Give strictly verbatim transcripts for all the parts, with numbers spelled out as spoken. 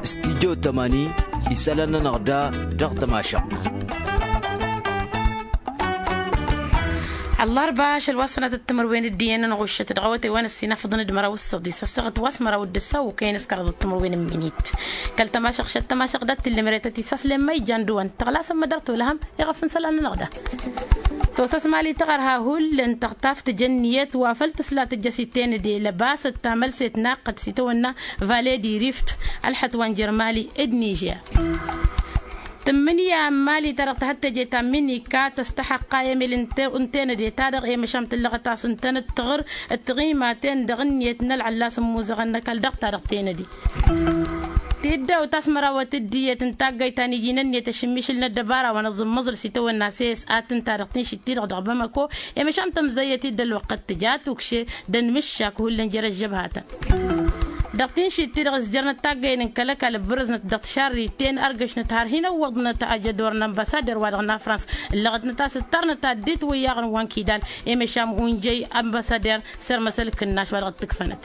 Studyo tămani isălan-nănăɣ da dăɣ-tămašăɣt. Ăllarba ašăl wa s-sănatăt timǝrwen d-iyyăn n-ɣuššăt dăɣ-awătay wa n-ăssinafăḍăn d-măraw s-săḍis ăssaɣăt wa s-măraw d-ăssaw ukăyăn s-kăraḍăt timǝrwen n-minit. Kăl-tămašăɣ šăt tămašăɣ dat-tǝllǝmret ad-t-isaslen ma ija n-dăwăn tăɣlasăn mădăr tolăhăm iɣăf n-isălan-nănăɣ da. Tosăs mali tăɣărha hull n-tăɣtaft tǝjăn ǝnniyăt wa făl tǝsla tǝjjăs i-tenăde lăbasăt tamălset naqqăt s-itawănna vale di rift. Ălxăt wa n-jer-mali d-nižer. Tǝmmǝnǝya n-mali-ta-dăɣ tǝhăt teje ta n-minika tăstăxăqqa emel n-tenăde-ta-dăɣ i-măšam tǝllăɣăt-as ǝntănăt tăɣǝr d-tiɣimaten dăɣ-ǝnniyăt n-ălɣăllas n-imuzăɣăn n-ăkall dăɣ-ta-dăɣ tenăde. Tiddawt a-s mărawăt d-iyyăt n-taggayt ta n-iji n-ǝnniyăt ašǝmmišǝl n-ăddăbara wa n-aẓǝmmăẓǝl s-itawănna s-e s a tǝnta dăɣ-tinšit-ti-dăɣ dăɣ-bamăko. I-măšam tămzăyyăt-dd ălwăqq d-tǝja tukše d-ănmǝššak hullan jer-ăžžăbhatăn. Dăɣ-tinšit-ti-dăɣ ǝzjărnăt taggăyăn n-kăl-ăkall ǝbrǝznăt dăɣ-tišarriten ărgăšnăt har hin-ăwwăḍnăt ajădor n-ănbăsader-wa-dăɣ n-afrans. Ǝllăɣătnăt a-s ǝttarnăt ad-dd-itwǝyyaɣăn wa n-kidal. I-măšam unjăy ănbăsader s-irmăs ălkǝnnaš wa dăɣ-t-ǝkfănăt.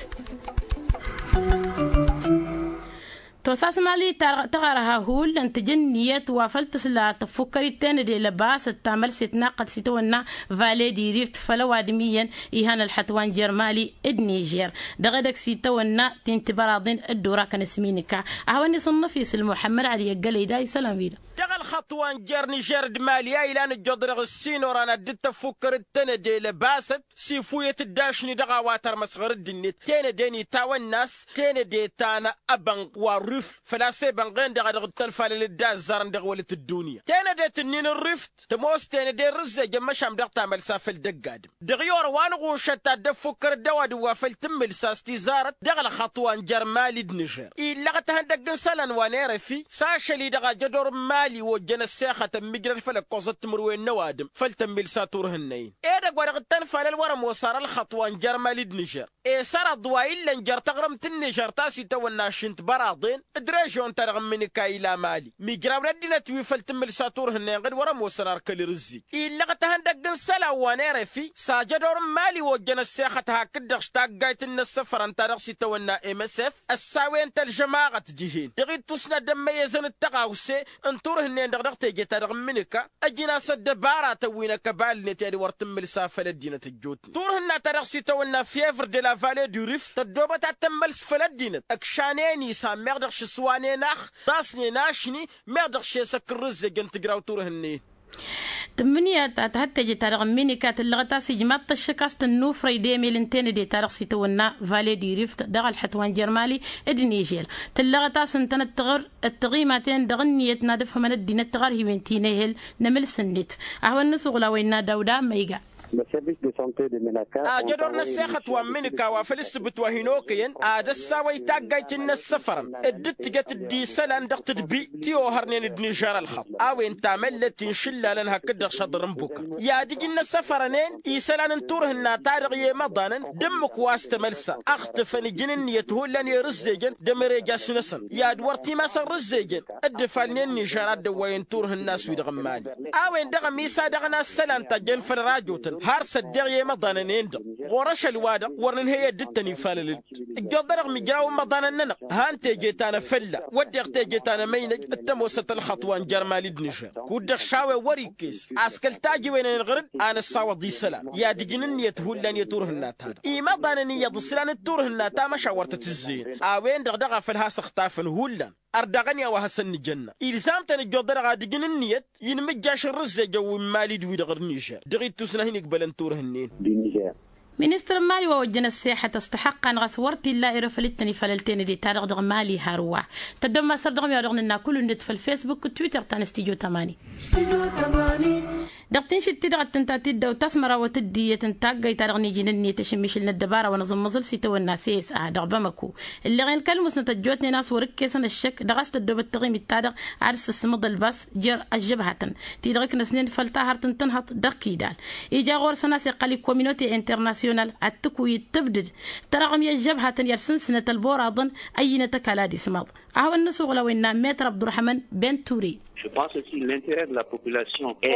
Tosa s-mali tăɣărha hull n-tǝjǝnniyăt wa făl tǝsla tăffukkărit tenăde lăbasăt tamălset naqqăt s-itawănna vale di rift făll-ăwadǝm iyyăn. Ihan ălxăt wa n-jer-mali d-nižer dăɣ-edăgg s-itawănna ti n-tibăraḍin dd-urakăn s-minǝka. A hawăn-isǝnnăf isǝl muḥămmăd ali ăggălăy da isălan-wi-dăɣ. Dăɣ-ălxăṭṭ wa n-jer-nižer d-mali a ilan ǝjjuḍ dăɣ-ǝssin oran ad-dd-tăffukkărăt tenăde lăbasăt s-ifuyăt dd-ašni dăɣ-a-wa tărmăs ɣur-dd-net tenăde n-itawănna a-s tenăde ta n-abănɣ wa n-rif. Făl-a-s ebănɣen-dăɣ a dăɣ-dd-tănfalălăt d-azzarăn dăɣ-wălăt ăddunya tenăde tǝnnin n-rif. Tămoos tenăde n-rǝzzejăn măšan dăɣ-tamălsa făll-dăgg-adǝm dăɣ-i orăwa n-ɣušăt ta dd-ăffukkărăt d-ăwadǝm wa făll-tǝmmǝlsa a-s tizarăt dăɣ-ălxăṭṭ wa n-jer-mali d-nǝžer. Illăɣăt ihăndăgg n-isălan wa n-erăfi s-ašăl-i-dăɣ ajădor n-mali ojjăn ăssexăt ămmijrăd făll-ăkkoẓăt timǝrwen n-ăwadǝm făll-tǝmmǝlsa turhǝnnăyăn. Edăgg wa dăɣ-dd-tănfalăl wăr-ămoos sar ălxăṭṭ wa n-jer-mali d-nǝžer. Esărăḍ wa illăn jer-taɣrǝmt n-nižăr ta s-itawănna ašǝnt băraḍen d-režyon-ta-dăɣ n-imǝnǝka ila mali. Mijrawăn ăddinăt wi făll-tǝmmǝlsa turhǝnne-inɣǝd wăr-ămoosăn ar kăl-irǝzzij illăɣăt ihăndăgg n-isălan wa n-erăfi s-ajădor n-mali ojjăn ăssexăt hakd-dăɣ taggayt n-inăssăfărăn ta dăɣ-s itawănna msf. Ăssawen-t ălžămaɣăt dihen dăɣ-ittusna dd-ămmăyyăzăn d-tăɣawse n-turhǝnnen-dăɣ dăɣ-teje-ta-dăɣ n-imǝnǝka. Ăjnas ăddăbaratăn wi n-ăkăbal-net i-ad-wăr tǝmmǝlsa făll-ăddinăt ăjjootnen turhǝnna ta dăɣ-s itawănna fievr de la vale du rif tăddoobăt ad-tămmăls făll-ăddinăt ǝkšanen-i san meɣ dăɣ-šǝswanen ax. Tasnen ašni meɣ dăɣ-šesăk n-rǝzzejăn tǝjraw turhǝnnen. Tǝmmǝnǝya ta tǝhăt teje-ta-dăɣ n-minika tǝllăɣăt a-s ijmaḍ-t ăššăk a-s tǝnnufrăy d-emel n-tenăde-ta-dăɣ s-itawănna vale du rif dăɣ-ălxăṭ wa n-jer-mali d-nižer. Tǝllăɣăt a-s ǝntănăt tăɣr d-tiɣimaten dăɣ-ǝnniyăt n-ad-ǝfhămăn ăddinăt tiɣărhiwen ti n-ehel n-emǝls-net. A hawăn-nǝsuɣǝl a-wa innă dawda măyga. Ajădor n-ăssexăt wa n-imǝnǝka wa făl ǝssǝbǝt wa hin-okăyăn ad-ăssawăy taggayt n-inăssăfărăn dd-ǝttǝjăt dd-isălan dăɣ-tǝdbi ti ohărnen d-nižer ălxăḍ. A-wen tamăllet ti n-išǝllalăn hakd-dăɣ šăḍr n-bukăr i-ad-ǝj n-inăssăfărăn-en isălan n-turhǝnna-ta-dăɣ i-imăḍanăn d-ǝmmǝk wa s-tămălsa ăxtǝfăn ǝjǝn ǝnniyăt hullan i-irǝzzejăn d-emărejasnăsăn i-ad-wăr timasăn rǝzzejăn. Dd-ǝfalnen nižer ad-dd-ăwwayăn turhǝnna a-s wi-dăɣ n-mali. A-wen-dăɣ ămisa dăɣ-inassălan ta jăn făll-rajotăn har s-ăddeɣ i-imăḍanăn-en-dăɣ ɣur-ašăl-wa-dăɣ wăr nǝnhăy ad-dd-tăn-ifalălăl. Ǝjjoḍ-dăɣ mijraw n-imăḍanăn-nănăɣ han teje ta n-afălla wădden teje ta n-emăynăj d-tămoosăt ălxăṭṭ wa n-jer-mali d-nǝžer. Kud-dăɣ šawen wăr-ikkes a-s kăl-tajiwen-en ɣǝr-dd a nǝssawăḍ isălan i-ad-ǝjǝn ǝnniyăt hullan i-turhǝnna-ta-dăɣ. Imăḍanăn iyyăḍ ǝslan d-turhǝnna ta măšan wăr tăt-ǝzzeyăn. A-wen-dăɣ daɣ a făl has-ǝxtafăn hullan. Ărdăɣăn i-a-wa hasăn-nǝjănna ilzam-tăn ǝjjoḍ-dăɣ ad-ǝjǝn ǝnniyăt i-inmǝjjaš n-rǝzzejăn wi n-mali d-wi-dăɣ d-nižer dăɣ-ittus n-ad-hin-igbălăn turhǝnnen. Ministăr n-mali wa ojjăn ăssexăt ăstăxăqqan ɣas wăr t-illa erăfăl d-tăn-ifalăl tenăde-ta-dăɣ dăɣ-mali hărwa. Tăddom măsăr dăɣ-mi-wa dăɣ-nǝnna kull-net făll-fesbuk d-twitter ta n-studyo tămani. Dăɣ-tinšit-ti-dăɣ ăttǝnta tiddawt ta s-mărawăt d-iyyăt n-taggayt-ta-dăɣ n-iji n-ǝnniyăt ašǝmmišǝl n-ăddăbara wa n-aẓǝmmăẓǝl s-itawănna s-e s a dăɣ-bamăko. Ǝlleɣen kăl-musnăt ăjjootnen a-s wăr-ǝkkesăn ăššăk dăɣ-a-s tăddoobăt taɣimit-ta-dăɣ ad-ǝssǝsmăḍ ălbas jer-ăžžăbhatăn ti-dăɣ ǝknăsnen făll-tahărt n-tǝnhăḍt dăɣ-kidal. Ija ɣur-săn a-s iqqăl i-kominute internasyonal ad-tǝkuyǝd tǝbdǝd tărăɣmi ăžžăbhatăn i-ad-sǝnsǝnăt ălboraḍăn. Ăyyinăt ăkall ad-ismaḍ. A hawăn-nǝsuɣǝl a-wa innă metr abdurrăhman ben ture.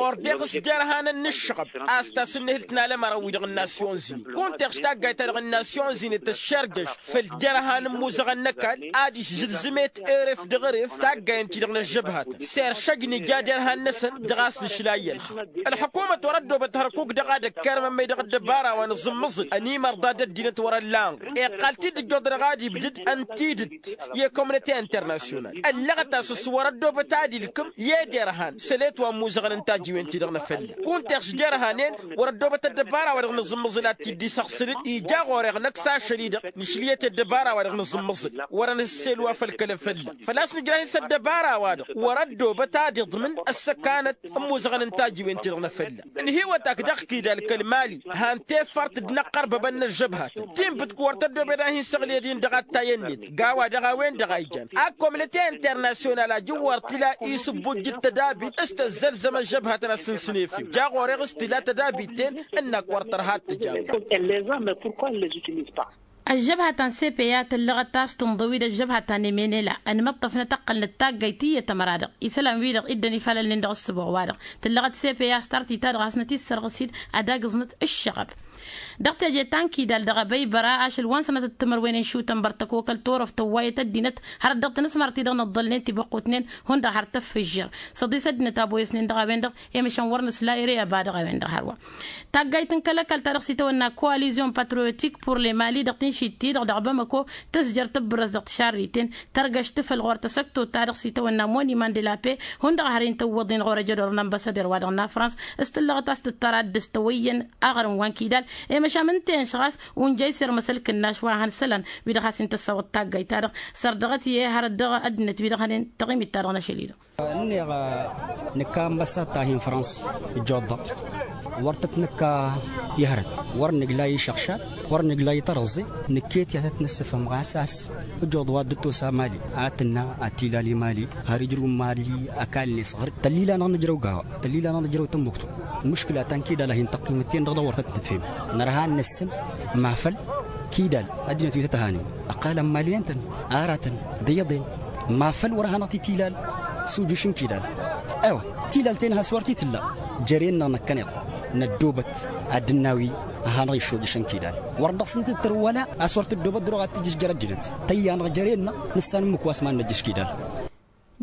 Ɣur-deɣ s-jerhanăn n-ǝššăɣăb a-s tasǝnnehǝlt n-alămărăn-wi-dăɣ n-nasyon zini kunta eɣš taggayt-ta-dăɣ n-nasyon zini tǝššărjăš făll-jerhan n-imuzăɣăn n-ăkall. Ad-išjǝlzǝmet eref dăɣ-eref taggayăn-ti-dăɣ n-ăžžăbhatăn s-eršăj nǝja derhan-năsăn dăɣ-a-s nǝšla iyyălxăɣ. Ălxukumăt wăr-ăddoobăt hărkuk dăɣ-ad-ăkkerăm ămmăy dăɣ-ăddăbara wa nǝẓǝmmăẓǝl ănimărḍa d-ăddinăt wăr-ăllan iqqal-t-dd ǝjjoḍ dăɣ-ad-ibdǝd ăntidǝt i-komnăte internasyonal ăllăɣăt-as s-wăr-ăddoobăt ad-ilkǝm i-ed irhan sălet wa ămmuzăɣăn n-tajiwen-ti-dăɣ n-afălla. Kunta eɣš jerhanen wăr-ăddoobăt ăddăbara-wa-dăɣ nǝẓǝmmăẓǝl ad-t-dd-isăɣ sălǝd ija ɣur-eɣ năkk s-ašăl-i-dăɣ nǝšlǝyăt i-ăddăbara-wa-dăɣ nǝẓǝmmăẓǝl. Wăr-ănhǝssel wa făll-kăl-afălla făl-a-s nǝjrah-in s-ăddăbara-wa-dăɣ wăr-ăddoobăt ad-iḍmǝn ăssăkanăt ămmuzăɣăn n-tajiwen-ti-dăɣ n-afălla. Ǝnhǝywăt-ak dăɣ-kidal kăl-mali han tefărt d-inăqqărbăbăn n-ăžžăbhatăn tinbǝt-k wăr tăddoobed ad-hin-săɣled-in dăɣ-ad-tayănnet. Gawa-dăɣ a-wen-dăɣ a ijan akkomnăte internasyonal ajǝwwar tǝla isǝbbujjǝd tădabit s-tăzzălzăm ăžžăbhatăn ad-sǝnsǝn efew ja ɣur-eɣ s-tǝla tădabit-ten ǝnn-ak wăr tărha ad-tǝjawăr. Ăžžăbhătăn sepeya tǝllăɣăt a-s tǝnḍǝw-dd ăžžăbhătăn emenela ănmăṭṭăfnăt ăqqălnăt taggayt iyyăt ămăra-dăɣ isălan-wi-dăɣ iddăn ifalălnen dăɣ-ǝssǝboɣ-wa-dăɣ. Tǝllăɣăt sepeya s-tartit-ta-dăɣ hasnăt-issărɣǝs-dd ad-agǝẓnăt ǝššăɣăb. Dăɣ-teje ta n-kidal dăɣ-abăybăra ašăl wa n-sănatăt timărwen n-išutăn bărtăkokăl torăft tăwwayăt ăddinăt hărăt dăɣ-tinǝsmar-ti-dăɣ nǝḍḍălnen tibăqqutnen hundăɣ har tăffǝžžer. Săḍis ăddinăt a boyăsnen dăɣ-a-wen-dăɣ i-măšan wăr nǝsla ere ăba dăɣ-a-wen-dăɣ hărwa. Taggayt n-kăl-ăkall ta dăɣ-s itawănna coalizion patriotik pur le mali dăɣ-tinšit-ti-dăɣ dăɣ-bamăko tǝzjăr tǝbbǝrrăs dăɣ-tišarriten tărgăš tǝfăl ɣur-tăsăktot ta dăɣ-s itawănna moniman de la pe. Hundăɣ har-in tăwwăḍ-in ɣur-ejădor n-ănbăsăder-wa-dăɣ n-afrans s-tǝllăɣăt a-s tǝttăr ad-dd-s tăwăyyăn aɣrǝm wa n-kidal. I-măšan n-tăn-šăɣ a-s unjăy s-irmăsăl kǝnnaš wa hăn isălan wi-dăɣ has-in-tăssawăḍ taggayt-ta-dăɣ sărdăɣăt i-e hărăt dăɣ-ăddinăt wi-dăɣ hănen tăɣimit-ta-dăɣ n-ašăl-i-dăɣ. Ǝnneɣ nǝkka ănbăssat ta hin-frans ǝjjuḍ-dăɣ wăr tăt-nǝkka i-hărăt wăr nǝgla i-išăɣšad wăr nǝgla i-tărăẓẓe. Nǝkket i-ad-tăt-nǝssǝfhǝm ɣas a-s ǝjjuḍ wa dd-ăttos amali ad-tǝnna ad-t-ilal i-mali har ijrǝw n-mali. Ăkall-net ɣur-dd tăllila-năɣ nǝjrăw gawa tăllila-năɣ nǝjrăw tămmuktu. Mǝškǝla ta n-kidal a hin-tăqqimăt-ten-dăɣ dăɣ-wăr tăt-nǝfhem nărha ad-nǝssǝn mafăl kidal ăddinăt wi tăt-ăhanen ăqqalăn mali ǝntăn aratăn d-iyyăḍen. Mafăl wăr hanăɣ-t-tilal s-ujǝš n-kidal. Ewa tilal-ten has-wăr t-tǝlla. Jere-năɣ năkkăneḍ năddoobăt ad-dd-nawi ad-hanăɣ-iššojǝš n-kidal. Wăr dăɣ-s nǝtǝttăr wăla a-s wăr tǝddoobăt dăr-oɣ ad-tǝjǝš jer-ăddinăt tăyya-năɣ jere-năɣ nǝssan ǝmmǝk wa s-mad-năjjǝš kidal.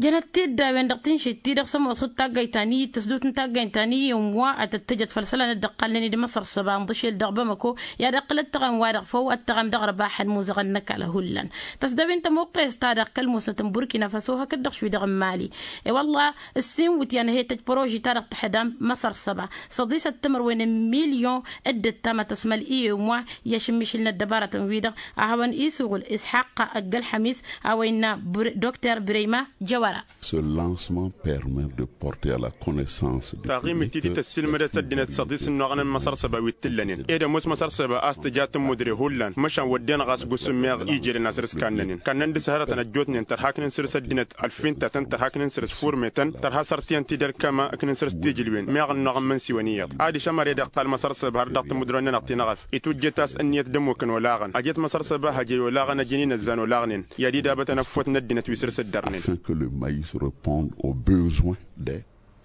Jănăt-t-dd a-wen-dăɣ tinšit-ti-dăɣ s-ămoos dd-taggayt ta n-iyyǝt tăsdut n-taggayt ta n-iyyǝn wa ad-tăt-tǝjăt făll-isălan dd-ăqqalnen d-măsăr săba ǝnḍǝšel dăɣ-bamăko. I-ad-ăqqǝl ăttăɣăm wa-dăɣ făw ăttăɣăm dăɣ-ărbaḥăn muzăɣăn n-ăkall hullan. Tăsdăwin tămuqqest-ta-dăɣ kăl-musnăt n-burkina faso hakd-dăɣ šwi-dăɣ n-mali. I-wălla ǝssin wǝtyan he-tăj păroži-ta-dăɣ tǝḥdam măsăr săba săḍisăt timǝrwen n-milyon. Dd-ǝttamăt ăsmăl iyyǝn wa i-ašǝmmišǝl n-ăddăbarătăn-wi-dăɣ a hawăn-isuɣǝl isxaqqa ăgg-ălxămis. A-wa innă dr breyma jăwăra. Ce lancement permet de porter à la connaissance de taɣimit-ti-ti tăssilmădăt ăddinăt săḍis n-oɣăn n-măsăr săba wi t-ǝllănen ed ămoos măsăr săba a-s tǝja tǝmmudre hullan. Măšan wădden ɣas gusǝm meɣ ijelen asăr s-kannănen kannăn dăr-s hărătăn ăjjootnen tărha akǝnǝn săr-s ăddinăt ălfintatăn tărha akǝnǝn săr-s furmetăn tărha sărtiyăn-ti d-ălkăma akǝnǝn săr-s tijǝlwen meɣ ănnuɣ n-imǝnsiwăn iyyăḍ. Adiš ămăre-dăɣ iqqal măsăr săba har dăɣ-tǝmmudrăwăn-nănăɣ ti n-aɣăf itwǝjjăt a-s ǝnniyăt d-ămmukăn olaɣăn ăjăt măsăr săba hăjăy olaɣăn ăjăn inăzzan olaɣnen. I-ad-idabătăn ăffot n-ăddinăt wi săr-s ǝddărnen. Afin que le maïs répond aux besoins des.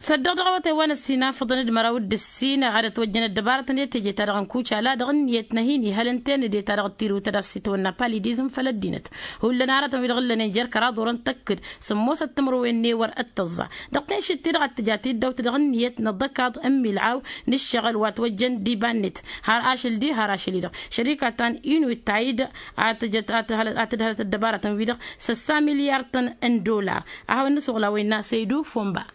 Săddăɣ dăɣ-awătay wa n-ăssinafăḍăn d-măraw d-ǝssin ad-ătwăjjăn ăddăbarătăn i-teje-ta-dăɣ n-kucala dăɣ-ǝnniyăt n-ad-hin-ihăl ǝnta-en ed i-ta-dăɣ d-tirǝwt ad-dăɣ-s itwănna palidizm făll-ăddinăt. Hullan aratăn wi-dăɣ ǝllănen jer-kăraḍ orăn tăkk-dd sǝmmosăt timǝrwen n-ewăr d-tăẓẓa. Dăɣ-tinšit-ti-dăɣ a t-tǝja tiddawt dăɣ-ǝnniyăt n-aḍăkaḍ n-milɣaw n-ǝššăɣǝl wa ătwăjjăn d-iba-net har ašăl-di har ašăl-i-dăɣ. Šărika ta n-inut ta-i-dăɣ a tǝjăt a tǝdhălăt ăddăbarătăn-wi-dăɣ săssa milyartăn n-dollar. A hawăn-nǝsuɣǝl a-wa innă săydu fomba.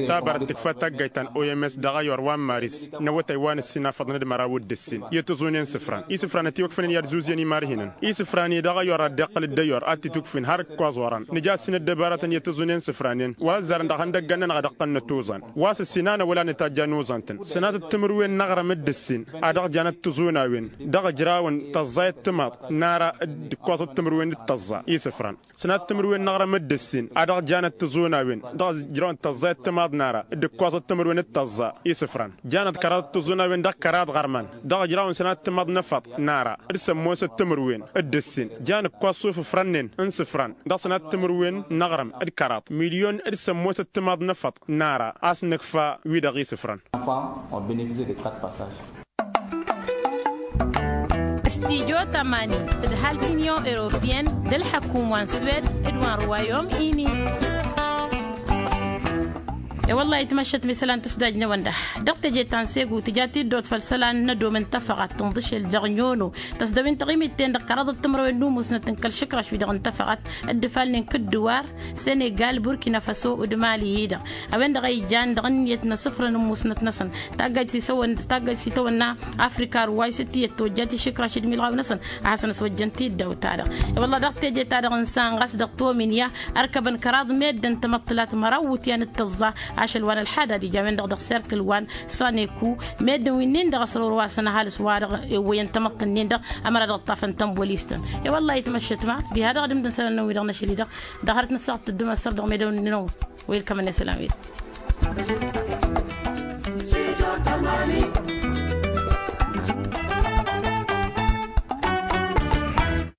Tabarăt tǝkfa taggayt ta n-oms dăɣ-ayyor wa n-maris n-awătay wa n-ǝssin afăḍăn d-măraw d-ǝssin i-tǝẓunen isǝfran isǝfran ătiwăkfănen i-ad-zuzyen imarhinăn. Isǝfran-i-dăɣ ayyor ad-dd-iqqăl d-ayyor ad-t-itwǝkfin har ǝkkoẓ orăn nǝja ǝssin ăddăbarătăn i-tǝẓunen isǝfranen wa ăzzarăn dăɣ-ihăndăggan-nănăɣ ad-ǝqqălnăt uẓan. Wa s-ǝssin a năwăla nǝtajja n-uẓan-tăn sănatăt timǝrwen n-aɣrǝm d-ǝssin a dăɣ-janăt tǝẓunăwen dăɣ-ǝjrawăn tăẓẓayăt timaḍ n-ara d-ǝkkoẓăt timǝrwen d-tăẓẓa isǝfran. Sănatăt timǝrwen n-aɣrǝm d-ǝssin a dăɣ-janăt tǝẓunăwen dăɣ-ǝjrawăn Tăẓẓa i-ăttămaḍ n-ara d-ǝkkoẓăt timǝrwen d-tăẓẓa isǝfran. Jan ăḍkăraḍ d-tǝẓẓuna-wen dăɣ-kăraḍ ɣărman dăɣ-ijrawăn sănat timăḍ n-efăḍ n-ara d-sămmosăt timǝrwen d-ǝssin. Jan ǝkkoẓ s-ufǝfrăn-nen n-isǝfran dăɣ-sănat timǝrwen n-aɣrǝm d-kăraḍ milyon d-sămmosăt timăḍ n-efăḍ n-ara a-s nǝkfa wi-dăɣ isǝfrăn. Studyo tămani tǝdhal t-inyon europiyăn d-ălḥăkum wa n-swed d-wa n-ruwayom ini. E-wălla-hi tmăššăt mi isălan tǝsdajnăwăn da dăɣ-teje ta n-segu tǝja tiddot făll-isălan n-ădom n-tafăɣat tǝnḍǝšel dăɣ-nyono tăsdăwin taɣimit-ten-dăɣ kăraḍăt timǝrwen n-umusnăt n-kăl-išǝkraš wi-dăɣ n-tafăɣat d-ifalnen kǝddǝwar senegal burkina faso d-mali-hi-dăɣ. A-wen-dăɣ a ijan dăɣ-ǝnniyăt n-asǝfrăn n-musnăt-năsăn taggajt s-itawănna afrika ruway s-tiyyăt tojjat išǝkraš d-imilɣaw-năsăn a hasăn-ăswăjjăn tiddaw-ta-dăɣ. I-wălla dăɣ-teje-ta-dăɣ n-san ɣas dăɣ-tominya ărkăbăn kăraḍ meddǝn tamăṭṭǝlat măraw iwǝtyan d-tăẓẓa ašăl wa n-ălḥadad ija a-wen-dăɣ dăɣ-serkǝl wa n-saneku meddǝn wi-nin-dăɣ ăsrăwrăwasăn ăhalǝs wa-dăɣ ewwăyăn tamăṭṭǝl-nin-dăɣ ămăra dăɣ-ǝṭṭafăn tănboliistăn. I-wălla itmăššăt ma diha-dăɣ d-imdăn isălan-nănăɣ wi-dăɣ n-ašăl-i-dăɣ dăɣ-hărăt n-ăssaɣăt tăddum ăssăr dăɣ-medăwăn-nănăɣ. Welcome n-isălan wi-dăɣ.